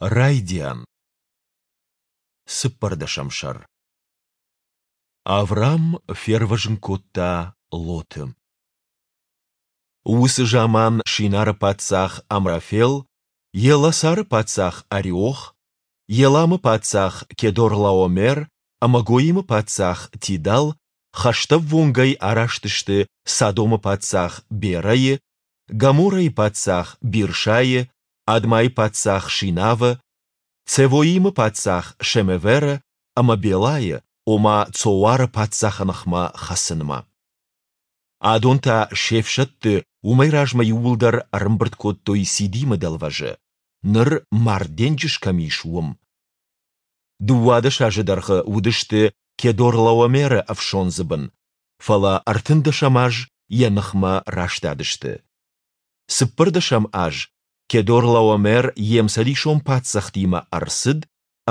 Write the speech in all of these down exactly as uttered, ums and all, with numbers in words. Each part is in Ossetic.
Райдиан. Цыппӕрдӕсӕм сӕр. Аврам фервӕзын кодта Лоты. Уыцы заман Шинары паддзах Амрафел, Елласары паддзах Ариох, Еламы паддзах Кедорлаомер ӕмӕ Гоимы паддзах Тидал хӕстӕввонгӕй араст сты Содомы паддзах Берайы, Гоморрӕйы паддзах Биршайы, Адмайы паддзах Шинавы, Цевоимы паддзах Шемеверы ӕмӕ Белайы, ома Цоары паддзахы ныхмӕ хӕцынмӕ. Адон та се фсӕдты уымӕй размӕ иууылдӕр ӕрӕмбырд кодтой Сидимы дӕлвӕзы, ныр Мард денджыз кӕм ис, уым. Дыууадӕс азы дӕргъы уыдысты Кедорлаомеры ӕфсондзы бын, фӕлӕ ӕртындӕсӕм аз йӕ ныхмӕ растадысты. Цыппӕрдӕсӕм аз Кедорлаомер йе мцӕдисон паддзӕхтимӕ ӕрцыд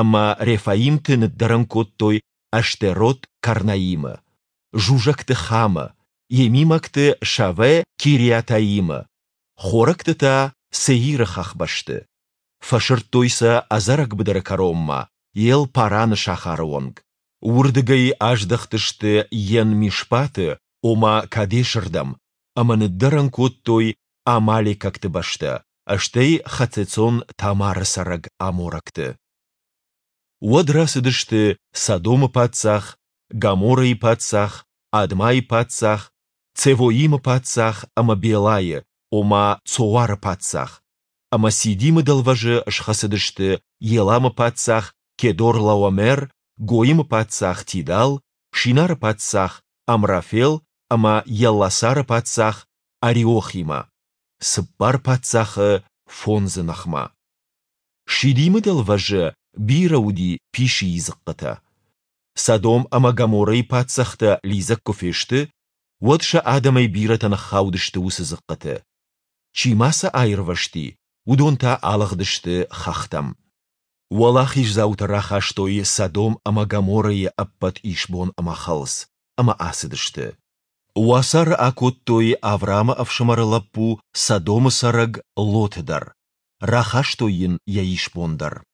ӕмӕ рефаимты ныддӕрӕн кодтой Аштерот-Карнаимы, зузӕгты Хамы, емимӕгты Шаве-Кириатаимы, хорӕгты та Сеиры хӕхбӕсты. Фӕсырдтой сӕ ӕдзӕрӕг быдыры кӕронмӕ, Ел-Параны сахары онг. Уырдыгӕй аздӕхтысты Ен-Мишпаты, ома Кадесы рдӕм, ӕмӕ ныддӕрӕн кодтой амалекӕгты бӕстӕ, стӕй Хацецон-Тамары цӕрӕг аморӕгты. Уӕд рацыдысты Содомы паддзах, Гоморрӕйы паддзах, Адмайы паддзах, Цевоимы паддзах ӕмӕ Белайы, ома Цоары паддзах, ӕмӕ Сидимы дӕлвӕзы схӕцыдысты Еламы паддзах Кедорлаомер, Гоимы паддзах Тидал, Шинары паддзах Амрафел ӕмӕ Елласары паддзах Ариохимӕ, цыппар паддзахы фондзы ныхмӕ. Сидимы дӕлвӕзы бирӕ уыди писийы дзыхъхъытӕ. Содом ӕмӕ Гоморрӕйы паддзӕхтӕ лидзӕг куы фесты, уӕд сӕ адӕмӕй бирӕтӕ ныххаудысты уыцы дзыхъхъыты. Чи ма сӕ аирвӕзти, уыдон та алыгъдысты хӕхтӕм. Уӕлахиздзаутӕ рахастой Содом ӕмӕ Гоморрӕйы ӕппӕт исбон ӕмӕ хӕлц, ӕмӕ ацыдысты. Уацары акодтой Авраамы ӕфсымӕры лӕппу, Содомы цӕрӕг Лоты дӕр, рахастой йын йӕ исбон дӕр.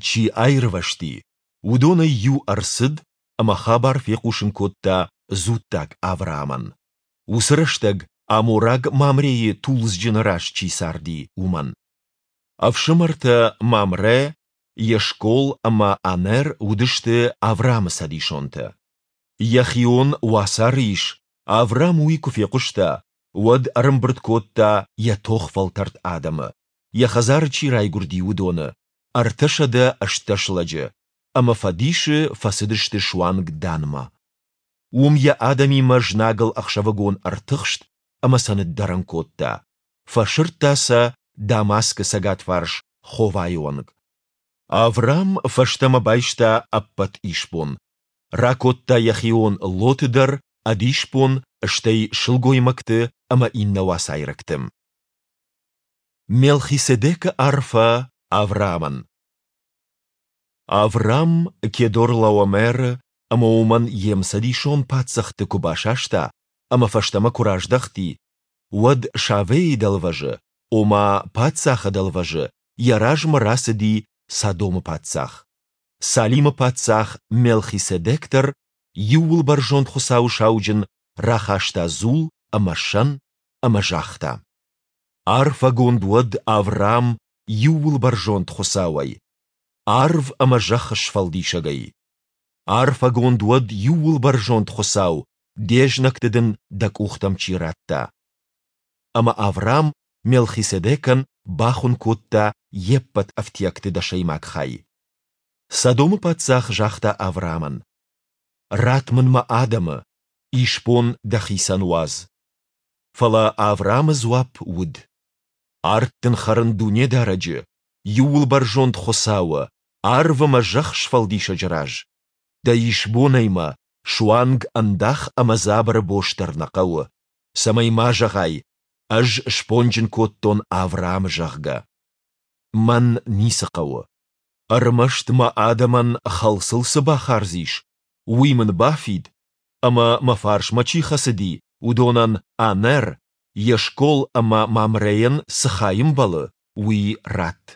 Чи аирвӕзти, уыдонӕй иу ӕрцыд ӕмӕ хабар фехъусын кодта дзуттаг Авраамӕн, уыцы рӕстӕг амораг Мамрейы тулдзджыны раз чи царди, уымӕн. Ӕфсымӕртӕ Мамрӕ, Ешкол ӕмӕ Анер уыдысты Авраамы цӕдисонтӕ. Йӕ хион уацары ис, Авраам уый куы фехъуыста, уӕд ӕрӕмбырд кодта йӕ тохвӕлтӕрд адӕмы, йӕ хӕдзары чи райгуырди, уыдоны, ӕртӕсӕдӕ ӕстдӕс лӕджы, ӕмӕ фӕдисы фӕцыдысты суанг Данмӕ. Уым йӕ адӕмимӕ знагыл ӕхсӕвыгон ӕртыхст ӕмӕ сӕ ныддӕрӕн кодта, фӕсырдта сӕ Дамаскы цӕгатварс Ховайы онг. Авраам фӕстӕмӕ байста ӕппӕт исбон, ракодта йӕ хион Лоты дӕр ӕд исбон, стӕй сылгоймӕгты ӕмӕ иннӕ уацайрӕгты. Мелхиседекы арфӕ Авраамӕн. Авраам Кедорлаомеры ӕмӕ уымӕн йе мцӕдисон паддзӕхты куы басаста ӕмӕ фӕстӕмӕ куы раздӕхти, уӕд Шавейы дӕлвӕзы, ома Паддзахы дӕлвӕзы, йӕ размӕ рацыди Содомы паддзах. Салимы паддзах Мелхиседек дӕр, Иууылбӕрзонд Хуыцауы сауджын, рахаста дзул ӕмӕ сӕн ӕмӕ загъта: Арфӕгонд уӕд Авраам Иууылбӕрзонд Хуыцауӕй, арв ӕмӕ зӕхх сфӕлдисӕгӕй. Арфӕгонд уӕд Иууылбӕрзонд Хуыцау, де знӕгты дын дӕ къухтӕм чи радта. Ӕмӕ Авраам Мелхиседекӕн бахуын кодта йе ппӕт ӕфтиӕгты дӕсӕймаг хай. Содомы паддзах загъта Авраамӕн: Ратт мын мӕ адӕмы, исбон дӕхицӕн уадз. Фӕлӕ Авраамы дзуапп уыд: Ард дын хӕрын Дунедарӕджы, Иууылбӕрзонд Хуыцауы, арв ӕмӕ зӕхх сфӕлдисӕджы раз, дӕ исбонӕй мӕ суанг ӕндах ӕмӕ дзабыры бос дӕр нӕ хъӕуы, цӕмӕй ма зӕгъай, ӕз сбонджын кодтон Авраамы, зӕгъгӕ. Мӕн ницы хъӕуы. Ӕрмӕст мӕ адӕмӕн хӕлцыл цы бахардз ис, уый мын бафид, ӕмӕ мӕ фарсмӕ чи хӕцыди, уыдонӕн Анер, Ешкол ӕмӕ Мамрейӕн цы хай ӕмбӕлы, уый ратт.